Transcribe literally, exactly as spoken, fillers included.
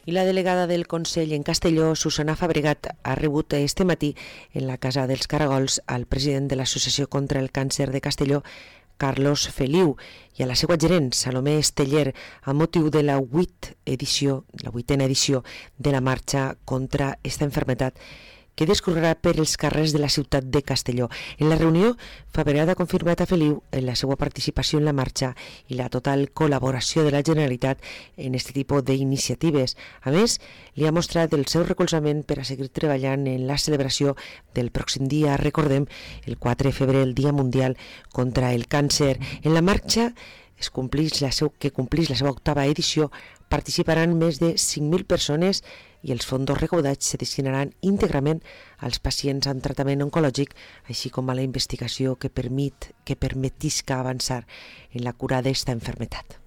I la delegada del Consell en Castelló, Susana Fabregat, ha rebut este matí en la Casa dels Caragols al president de l'Associació contra el Càncer de Castelló, Carlos Feliu, i a la seva gerent, Salomé Esteller, a motiu de la vuit edició, la vuitena edició de la marxa contra esta enfermetat que discorrerà per els carrers de la ciutat de Castelló. En la reunió, Fabregat ha confirmat a Feliu en la seva participació en la marxa i la total col·laboració de la Generalitat en aquest tipus d'iniciatives. A més, li ha mostrat el seu recolzament per a seguir treballant en la celebració del pròxim dia, recordem, el quatre de febrer, el Dia Mundial contra el Càncer. En la marxa es complís la seu, que complís la seva octava edició, participaran més de cinc mil persones i els fons recaudats se destinaran íntegrament als pacients amb tractament oncològic, així com a la investigació que permet que permetisca avançar en la cura d'esta enfermetat.